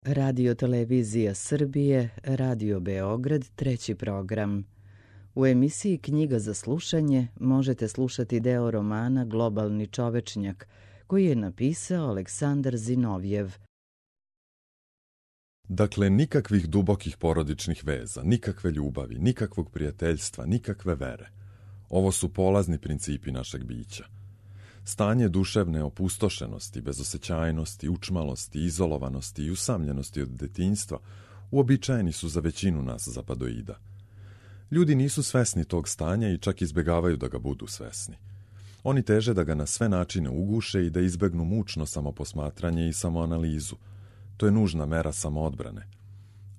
Radio Televizija Srbije, Radio Beograd, treći program. U emisiji Knjiga za slušanje možete slušati deo romana Globalni čovečnjak, koji je napisao Aleksandar Zinovjev. Dakle, nikakvih dubokih porodičnih veza, nikakve ljubavi, nikakvog prijateljstva, nikakve vere. Ovo su polazni principi našeg bića. Stanje duševne opustošenosti, bezosećajnosti, učmalosti, izolovanosti i usamljenosti od detinjstva uobičajeni su za većinu nas zapadoida. Ljudi nisu svesni tog stanja i čak izbegavaju da ga budu svesni. Oni teže da ga na sve načine uguše i da izbegnu mučno samoposmatranje i samoanalizu. To je nužna mera samoodbrane.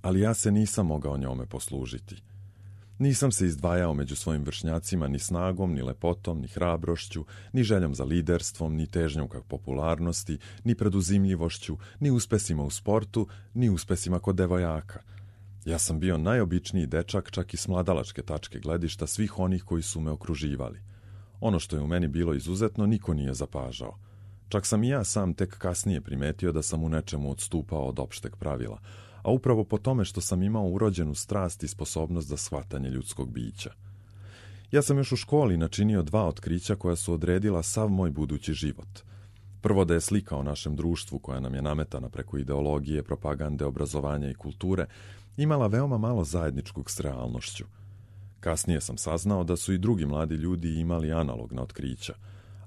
Ali ja se nisam mogao njome poslužiti. Nisam se izdvajao među svojim vršnjacima ni snagom, ni lepotom, ni hrabrošću, ni željom za liderstvom, ni težnjom ka popularnosti, ni preduzimljivošću, ni uspesima u sportu, ni uspesima kod devojaka. Ja sam bio najobičniji dečak, čak i s mladalačke tačke gledišta svih onih koji su me okruživali. Ono što je u meni bilo izuzetno niko nije zapažao. Čak sam i ja sam tek kasnije primetio da sam u nečemu odstupao od opšteg pravila, a upravo po tome što sam imao urođenu strast i sposobnost za shvatanje ljudskog bića. Ja sam još u školi načinio 2 otkrića koja su odredila sav moj budući život. Prvo, da je slika o našem društvu, koja nam je nametana preko ideologije, propagande, obrazovanja i kulture, imala veoma malo zajedničkog s realnošću. Kasnije sam saznao da su i drugi mladi ljudi imali analogna otkrića,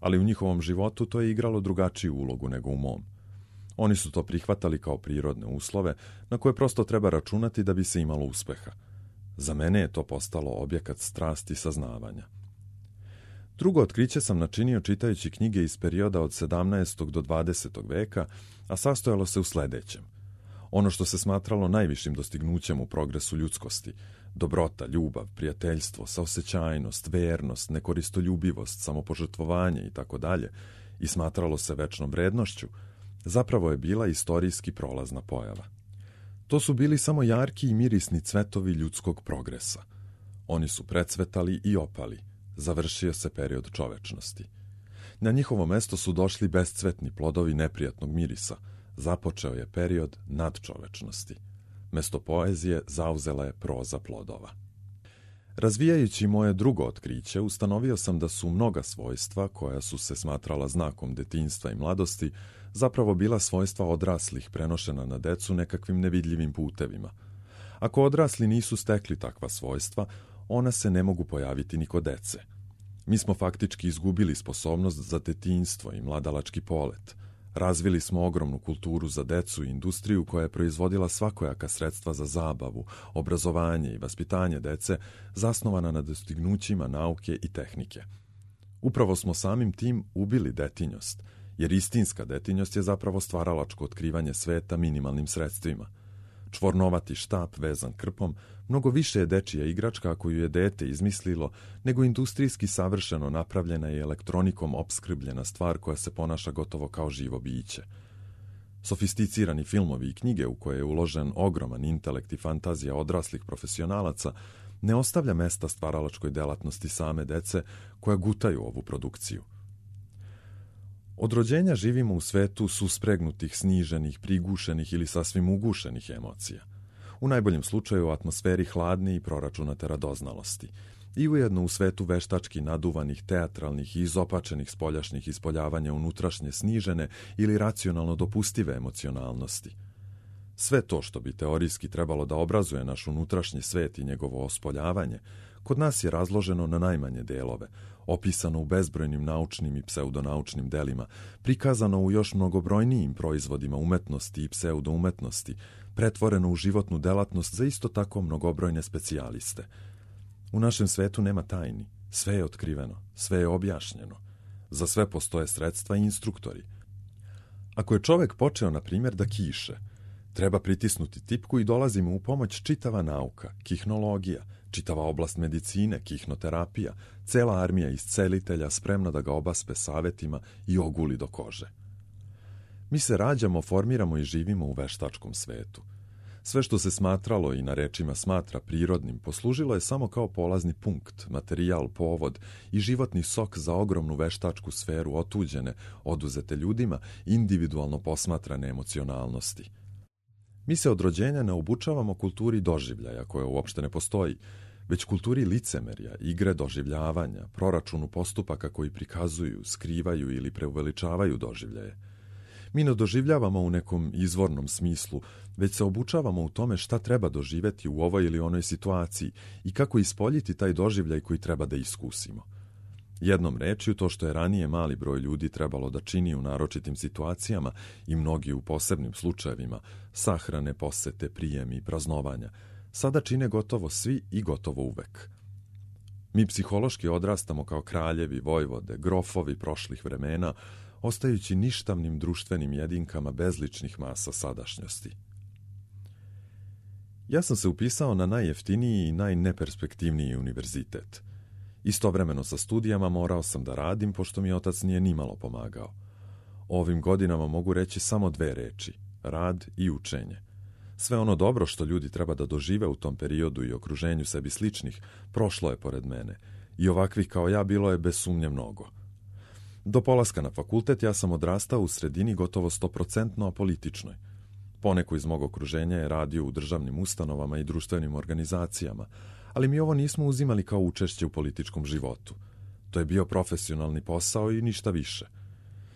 ali u njihovom životu to je igralo drugačiju ulogu nego u mom. Oni su to prihvatali kao prirodne uslove na koje prosto treba računati da bi se imalo uspeha. Za mene je to postalo objekat strasti i saznavanja. Drugo otkriće sam načinio čitajući knjige iz perioda od 17. do 20. veka, a sastojalo se u sledećem. Ono što se smatralo najvišim dostignućem u progresu ljudskosti, dobrota, ljubav, prijateljstvo, saosećajnost, vernost, nekoristoljubivost, samopožrtvovanje itd., i smatralo se večnom vrednošću, zapravo je bila istorijski prolazna pojava. To su bili samo jarki i mirisni cvetovi ljudskog progresa. Oni su precvetali i opali. Završio se period čovečnosti. Na njihovo mesto su došli bescvetni plodovi neprijatnog mirisa. Započeo je period nadčovečnosti. Mesto poezije zauzela je proza plodova. Razvijajući moje drugo otkriće, ustanovio sam da su mnoga svojstva, koja su se smatrala znakom detinjstva i mladosti, zapravo bila svojstva odraslih prenošena na decu nekakvim nevidljivim putevima. Ako odrasli nisu stekli takva svojstva, ona se ne mogu pojaviti ni kod dece. Mi smo faktički izgubili sposobnost za detinjstvo i mladalački polet. Razvili smo ogromnu kulturu za decu i industriju koja je proizvodila svakojaka sredstva za zabavu, obrazovanje i vaspitanje dece, zasnovana na dostignućima nauke i tehnike. Upravo smo samim tim ubili detinjost, jer istinska detinjost je zapravo stvaralačko otkrivanje sveta minimalnim sredstvima. Čvornovati štap vezan krpom mnogo više je dečija igračka koju je dete izmislilo nego industrijski savršeno napravljena i elektronikom opskrbljena stvar koja se ponaša gotovo kao živo biće. Sofisticirani filmovi i knjige u koje je uložen ogroman intelekt i fantazija odraslih profesionalaca ne ostavlja mesta stvaralačkoj delatnosti same dece koja gutaju ovu produkciju. Od rođenja živimo u svetu suspregnutih, sniženih, prigušenih ili sasvim ugušenih emocija. U najboljem slučaju u atmosferi hladne i proračunate radoznalosti. I ujedno u svetu veštački naduvanih, teatralnih i izopačenih spoljašnjih ispoljavanja unutrašnje snižene ili racionalno dopustive emocionalnosti. Sve to što bi teorijski trebalo da obrazuje naš unutrašnji svet i njegovo ospoljavanje, kod nas je razloženo na najmanje delove, opisano u bezbrojnim naučnim i pseudonaučnim delima, prikazano u još mnogobrojnijim proizvodima umetnosti i pseudoumetnosti, pretvoreno u životnu delatnost za isto tako mnogobrojne specijaliste. U našem svetu nema tajni, sve je otkriveno, sve je objašnjeno. Za sve postoje sredstva i instruktori. Ako je čovek počeo, na primjer, da kiše, treba pritisnuti tipku i dolazi mu u pomoć čitava nauka, kihnologija, čitava oblast medicine, kihnoterapija, cela armija iscelitelja spremna da ga obaspe savetima i oguli do kože. Mi se rađamo, formiramo i živimo u veštačkom svetu. Sve što se smatralo i na rečima smatra prirodnim, poslužilo je samo kao polazni punkt, materijal, povod i životni sok za ogromnu veštačku sferu otuđene, oduzete ljudima, individualno posmatrane emocionalnosti. Mi se od rođenja ne obučavamo kulturi doživljaja, koja uopšte ne postoji, već kulturi licemerja, igre doživljavanja, proračunu postupaka koji prikazuju, skrivaju ili preuveličavaju doživljaje. Mi ne doživljavamo u nekom izvornom smislu, već se obučavamo u tome šta treba doživeti u ovoj ili onoj situaciji i kako ispoljiti taj doživljaj koji treba da iskusimo. Jednom rečju, to što je ranije mali broj ljudi trebalo da čini u naročitim situacijama i mnogi u posebnim slučajevima, sahrane, posete, prijemi, praznovanja, sada čine gotovo svi i gotovo uvek. Mi psihološki odrastamo kao kraljevi, vojvode, grofovi prošlih vremena, ostajući ništavnim društvenim jedinkama bezličnih masa sadašnjosti. Ja sam se upisao na najjeftiniji i najneperspektivniji univerzitet. Istovremeno sa studijama morao sam da radim, pošto mi otac nije nimalo pomagao. O ovim godinama mogu reći samo dve reči: rad i učenje. Sve ono dobro što ljudi treba da dožive u tom periodu i okruženju sebi sličnih, prošlo je pored mene, i ovakvih kao ja bilo je bez sumnje mnogo. Do polaska na fakultet ja sam odrastao u sredini gotovo 100% apolitičnoj. Poneko iz mog okruženja je radio u državnim ustanovama i društvenim organizacijama, ali mi ovo nismo uzimali kao učešće u političkom životu. To je bio profesionalni posao i ništa više.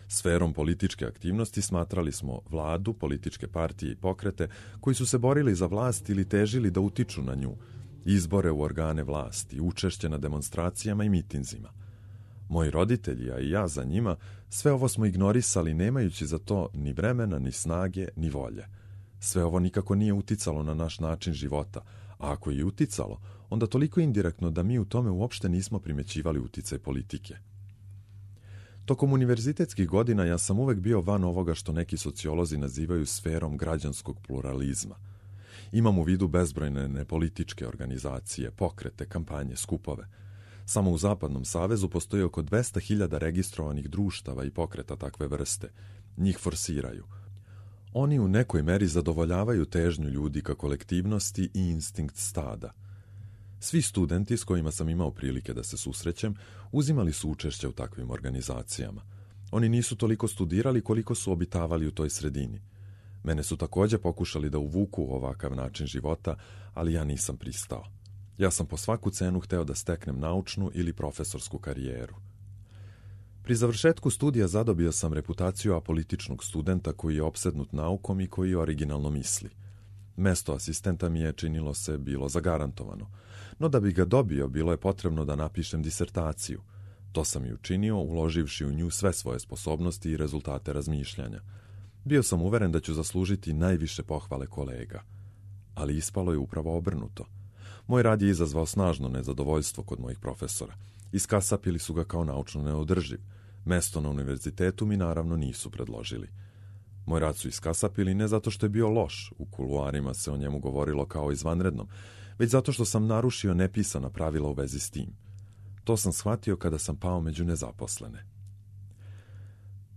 Sferom političke aktivnosti smatrali smo vladu, političke partije i pokrete koji su se borili za vlast ili težili da utiču na nju, izbore u organe vlasti, učešće na demonstracijama i mitinzima. Moji roditelji, a i ja za njima, sve ovo smo ignorisali nemajući za to ni vremena, ni snage, ni volje. Sve ovo nikako nije uticalo na naš način života, a ako je uticalo, onda toliko indirektno da mi u tome uopšte nismo primećivali uticaj politike. Tokom univerzitetskih godina ja sam uvek bio van ovoga što neki sociolozi nazivaju sferom građanskog pluralizma. Imam u vidu bezbrojne nepolitičke organizacije, pokrete, kampanje, skupove. Samo u Zapadnom savezu postoji oko 200.000 registrovanih društava i pokreta takve vrste. Njih forsiraju. Oni u nekoj meri zadovoljavaju težnju ljudi ka kolektivnosti i instinkt stada. Svi studenti s kojima sam imao prilike da se susrećem uzimali su učešće u takvim organizacijama. Oni nisu toliko studirali koliko su obitavali u toj sredini. Mene su takođe pokušali da uvuku u ovakav način života, ali ja nisam pristao. Ja sam po svaku cenu hteo da steknem naučnu ili profesorsku karijeru. Pri završetku studija zadobio sam reputaciju apolitičnog studenta koji je opsednut naukom i koji originalno misli. Mesto asistenta mi je, činilo se, bilo zagarantovano, no da bi ga dobio bilo je potrebno da napišem disertaciju. To sam i učinio, uloživši u nju sve svoje sposobnosti i rezultate razmišljanja. Bio sam uveren da ću zaslužiti najviše pohvale kolega, ali ispalo je upravo obrnuto. Moj rad je izazvao snažno nezadovoljstvo kod mojih profesora. Iskasapili su ga kao naučno neodrživ. Mesto na univerzitetu mi naravno nisu predložili. Moj rad su iskasapili ne zato što je bio loš, u kuluarima se o njemu govorilo kao izvanrednom, već zato što sam narušio nepisana pravila u vezi s tim. To sam shvatio kada sam pao među nezaposlene.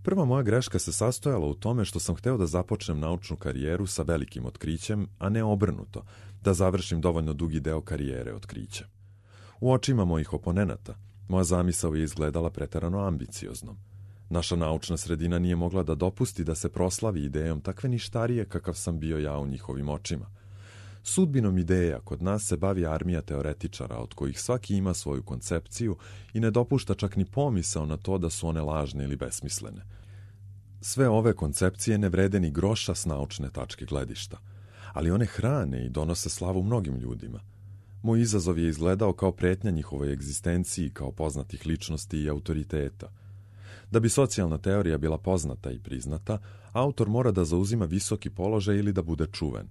Prva moja greška se sastojala u tome što sam hteo da započnem naučnu karijeru sa velikim otkrićem, a ne obrnuto, da završim dovoljno dugi deo karijere otkrićem. U očima mojih oponenata, moja zamisao je izgledala preterano ambicioznom. Naša naučna sredina nije mogla da dopusti da se proslavi idejom takve ništarije kakav sam bio ja u njihovim očima. Sudbinom ideja kod nas se bavi armija teoretičara, od kojih svaki ima svoju koncepciju i ne dopušta čak ni pomisao na to da su one lažne ili besmislene. Sve ove koncepcije ne vrede ni groša s naučne tačke gledišta, ali one hrane i donose slavu mnogim ljudima. Moj izazov je izgledao kao pretnja njihovoj egzistenciji kao poznatih ličnosti i autoriteta. Da bi socijalna teorija bila poznata i priznata, autor mora da zauzima visoki položaj ili da bude čuven.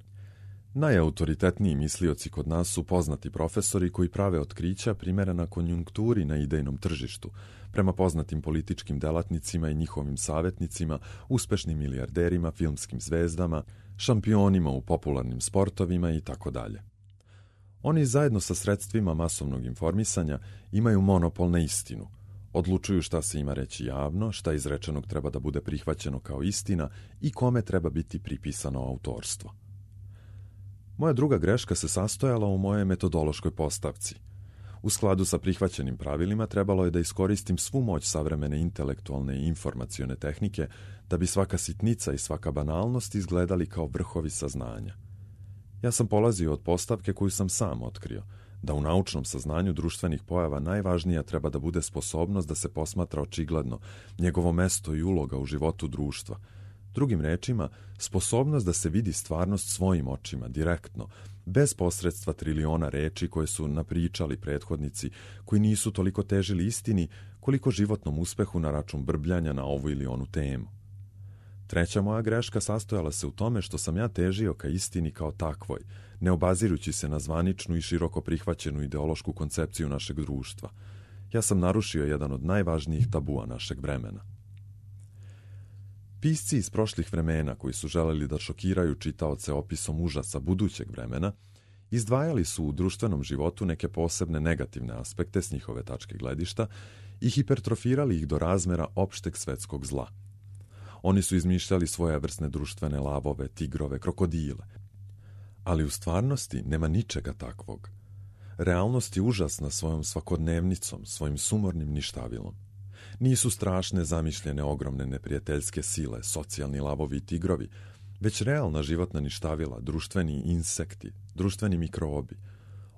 Najautoritetniji mislioci kod nas su poznati profesori koji prave otkrića primerena konjunkturi na idejnom tržištu, prema poznatim političkim delatnicima i njihovim savjetnicima, uspešnim milijarderima, filmskim zvezdama, šampionima u popularnim sportovima i tako dalje. Oni zajedno sa sredstvima masovnog informisanja imaju monopol na istinu. Odlučuju šta se ima reći javno, šta izrečenog treba da bude prihvaćeno kao istina i kome treba biti pripisano autorstvo. Moja druga greška se sastojala u mojoj metodološkoj postavci. U skladu sa prihvaćenim pravilima trebalo je da iskoristim svu moć savremene intelektualne i informacione tehnike da bi svaka sitnica i svaka banalnost izgledali kao vrhovi saznanja. Ja sam polazio od postavke koju sam sam otkrio, da u naučnom saznanju društvenih pojava najvažnija treba da bude sposobnost da se posmatra očigledno njegovo mesto i uloga u životu društva. Drugim rečima, sposobnost da se vidi stvarnost svojim očima, direktno, bez posredstva triliona reči koje su napričali prethodnici, koji nisu toliko težili istini koliko životnom uspehu na račun brbljanja na ovu ili onu temu. Treća moja greška sastojala se u tome što sam ja težio ka istini kao takvoj, ne obazirući se na zvaničnu i široko prihvaćenu ideološku koncepciju našeg društva. Ja sam narušio jedan od najvažnijih tabua našeg vremena. Pisci iz prošlih vremena koji su želeli da šokiraju čitaoce opisom užasa budućeg vremena, izdvajali su u društvenom životu neke posebne negativne aspekte s njihove tačke gledišta i hipertrofirali ih do razmera opšteg svetskog zla. Oni su izmišljali svojevrsne društvene lavove, tigrove, krokodile. Ali u stvarnosti nema ničega takvog. Realnost je užasna svojom svakodnevnicom, svojim sumornim ništavilom. Nisu strašne zamišljene ogromne neprijateljske sile, socijalni lavovi i tigrovi, već realna životna ništavila, društveni insekti, društveni mikrobi.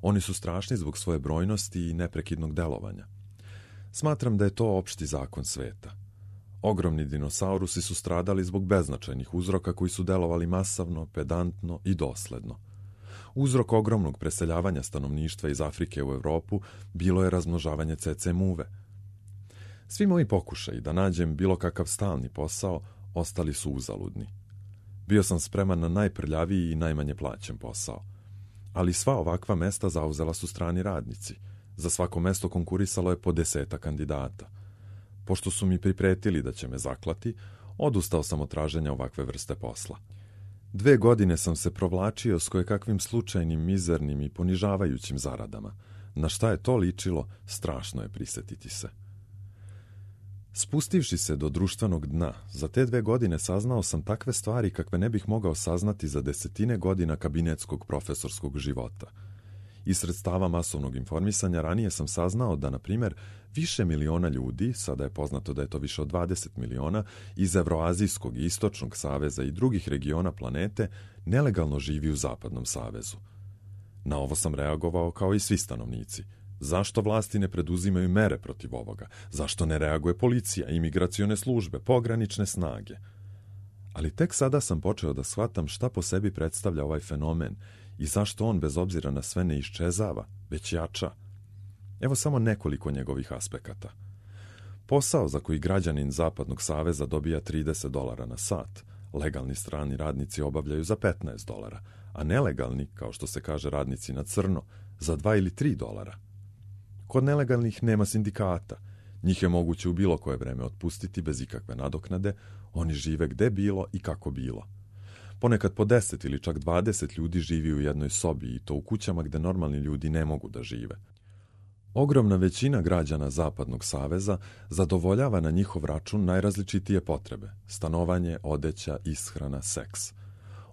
Oni su strašni zbog svoje brojnosti i neprekidnog delovanja. Smatram da je to opšti zakon sveta. Ogromni dinosaurusi su stradali zbog beznačajnih uzroka koji su delovali masavno, pedantno i dosledno. Uzrok ogromnog preseljavanja stanovništva iz Afrike u Evropu bilo je razmnožavanje cece muve. Svi moji pokušaji da nađem bilo kakav stalni posao ostali su uzaludni. Bio sam spreman na najprljaviji i najmanje plaćen posao. Ali sva ovakva mesta zauzela su strani radnici. Za svako mesto konkurisalo je po 10 kandidata. Pošto su mi pripretili da će me zaklati, odustao sam od traženja ovakve vrste posla. 2 godine sam se provlačio s kojekakvim slučajnim, mizernim i ponižavajućim zaradama. Na šta je to ličilo, strašno je prisetiti se. Spustivši se do društvenog dna, za te 2 godine saznao sam takve stvari kakve ne bih mogao saznati za 10 godina kabinetskog profesorskog života. Iz sredstava masovnog informisanja ranije sam saznao da, na primjer, više miliona ljudi, sada je poznato da je to više od 20 miliona, iz Evroazijskog i Istočnog saveza i drugih regiona planete nelegalno živi u Zapadnom savezu. Na ovo sam reagovao kao i svi stanovnici. Zašto vlasti ne preduzimaju mere protiv ovoga? Zašto ne reaguje policija, imigracione službe, pogranične snage? Ali tek sada sam počeo da shvatam šta po sebi predstavlja ovaj fenomen i zašto on bez obzira na sve ne iščezava, već jača. Evo samo nekoliko njegovih aspekata. Posao za koji građanin Zapadnog saveza dobija $30 na sat, legalni strani radnici obavljaju za $15, a nelegalni, kao što se kaže radnici na crno, za $2 ili $3. Kod nelegalnih nema sindikata. Njih je moguće u bilo koje vreme otpustiti bez ikakve nadoknade, oni žive gde bilo i kako bilo. Ponekad po 10 ili čak 20 ljudi živi u jednoj sobi i to u kućama gde normalni ljudi ne mogu da žive. Ogromna većina građana Zapadnog saveza zadovoljava na njihov račun najrazličitije potrebe: stanovanje, odeća, ishrana, seks.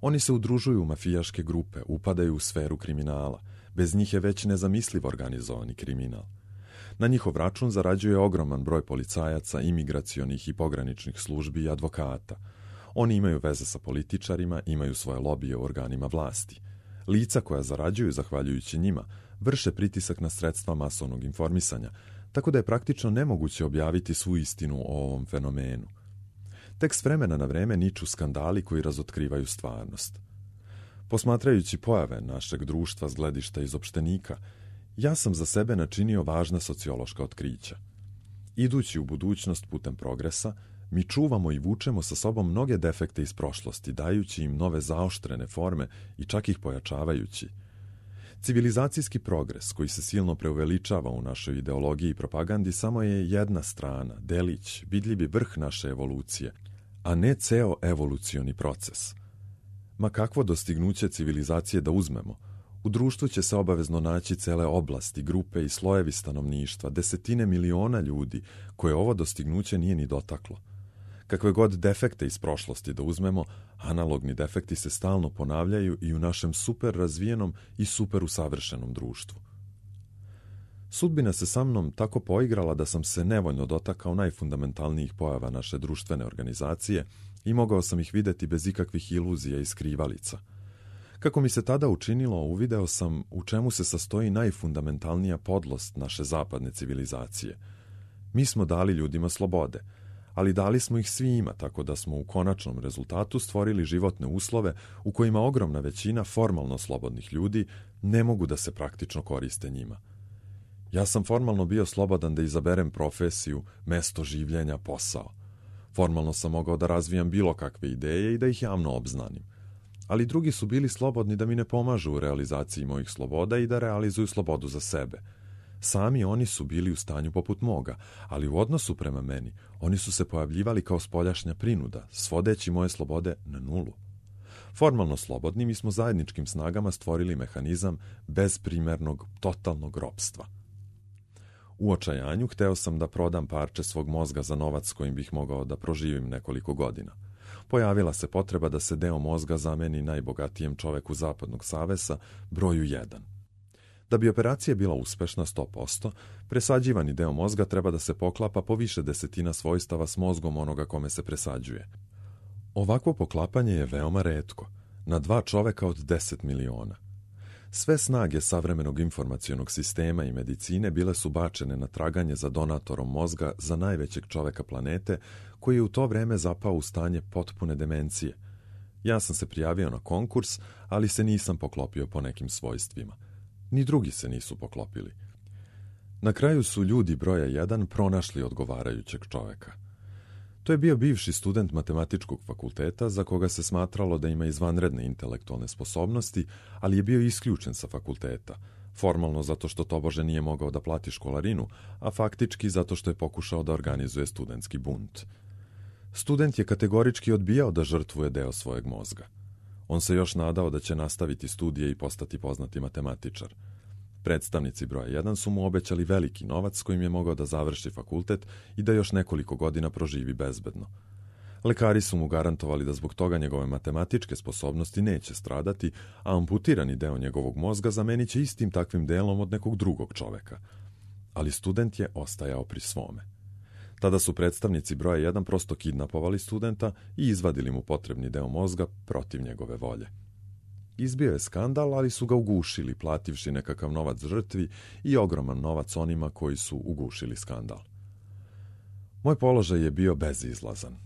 Oni se udružuju u mafijaške grupe, upadaju u sferu kriminala. Bez njih je već nezamisliv organizovani kriminal. Na njihov račun zarađuje ogroman broj policajaca, imigracionih i pograničnih službi i advokata. Oni imaju veze sa političarima, imaju svoje lobije u organima vlasti. Lica koja zarađuju zahvaljujući njima vrše pritisak na sredstva masovnog informisanja, tako da je praktično nemoguće objaviti svu istinu o ovom fenomenu. Tek s vremena na vreme niču skandali koji razotkrivaju stvarnost. Posmatrajući pojave našeg društva s gledišta izopštenika, ja sam za sebe načinio važna sociološka otkrića. Idući u budućnost putem progresa, mi čuvamo i vučemo sa sobom mnoge defekte iz prošlosti, dajući im nove zaoštrene forme i čak ih pojačavajući. Civilizacijski progres, koji se silno preuveličava u našoj ideologiji i propagandi, samo je jedna strana, delić, vidljivi vrh naše evolucije, a ne ceo evolucioni proces. Ma kakvo dostignuće civilizacije da uzmemo, u društvu će se obavezno naći cele oblasti, grupe i slojevi stanovništva, 10 miliona ljudi koje ovo dostignuće nije ni dotaklo. Kakve god defekte iz prošlosti da uzmemo, analogni defekti se stalno ponavljaju i u našem super razvijenom i super usavršenom društvu. Sudbina se sa mnom tako poigrala da sam se nevoljno dotakao najfundamentalnijih pojava naše društvene organizacije i mogao sam ih vidjeti bez ikakvih iluzija i skrivalica. Kako mi se tada učinilo, uvideo sam u čemu se sastoji najfundamentalnija podlost naše zapadne civilizacije. Mi smo dali ljudima slobode, ali dali smo ih svima, tako da smo u konačnom rezultatu stvorili životne uslove u kojima ogromna većina formalno slobodnih ljudi ne mogu da se praktično koriste njima. Ja sam formalno bio slobodan da izaberem profesiju, mesto življenja, posao. Formalno sam mogao da razvijam bilo kakve ideje i da ih javno obznanim. Ali drugi su bili slobodni da mi ne pomažu u realizaciji mojih sloboda i da realizuju slobodu za sebe. Sami oni su bili u stanju poput moga, ali u odnosu prema meni oni su se pojavljivali kao spoljašnja prinuda, svodeći moje slobode na nulu. Formalno slobodni mi smo zajedničkim snagama stvorili mehanizam bezprimernog, totalnog ropstva. U očajanju hteo sam da prodam parče svog mozga za novac kojim bih mogao da proživim nekoliko godina. Pojavila se potreba da se deo mozga zameni najbogatijem čoveku Zapadnog saveza, broju 1. Da bi operacija bila uspešna 100%, presađivani deo mozga treba da se poklapa po više desetina svojstava s mozgom onoga kome se presađuje. Ovakvo poklapanje je veoma retko, na 2 čoveka od 10 miliona. Sve snage savremenog informacionog sistema i medicine bile su bačene na traganje za donatorom mozga za najvećeg čoveka planete, koji je u to vreme zapao u stanje potpune demencije. Ja sam se prijavio na konkurs, ali se nisam poklopio po nekim svojstvima. Ni drugi se nisu poklopili. Na kraju su ljudi broja 1 pronašli odgovarajućeg čoveka. To je bio bivši student matematičkog fakulteta za koga se smatralo da ima izvanredne intelektualne sposobnosti, ali je bio isključen sa fakulteta, formalno zato što tobože nije mogao da plati školarinu, a faktički zato što je pokušao da organizuje studentski bunt. Student je kategorički odbijao da žrtvuje deo svojeg mozga. On se još nadao da će nastaviti studije i postati poznati matematičar. Predstavnici broja 1 su mu obećali veliki novac kojim je mogao da završi fakultet i da još nekoliko godina proživi bezbedno. Lekari su mu garantovali da zbog toga njegove matematičke sposobnosti neće stradati, a amputirani deo njegovog mozga zamenit će istim takvim delom od nekog drugog čoveka. Ali student je ostajao pri svome. Tada su predstavnici broja 1 prosto kidnapovali studenta i izvadili mu potrebni deo mozga protiv njegove volje. Izbio je skandal, ali su ga ugušili, plativši nekakav novac žrtvi i ogroman novac onima koji su ugušili skandal. Moj položaj je bio bezizlazan.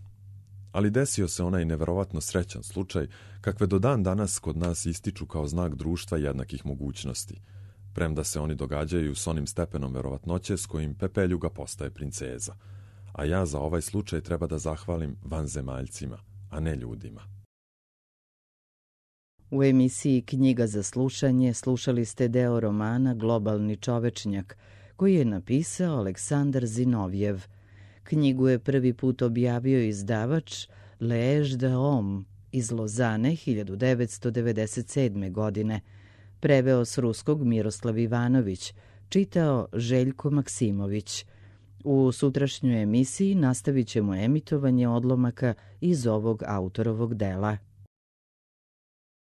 Ali desio se onaj neverovatno srećan slučaj, kakve do dan danas kod nas ističu kao znak društva jednakih mogućnosti, premda se oni događaju s onim stepenom verovatnoće s kojim pepeljuga postaje princeza. A ja za ovaj slučaj treba da zahvalim vanzemaljcima, a ne ljudima. U emisiji Knjiga za slušanje slušali ste deo romana Globalni čovečnjak, koji je napisao Aleksandar Zinovjev. Knjigu je prvi put objavio izdavač L'Age de Homme iz Lozane 1997. godine. Preveo s ruskog Miroslav Ivanović, čitao Željko Maksimović. U sutrašnjoj emisiji nastavit ćemo emitovanje odlomaka iz ovog autorovog dela.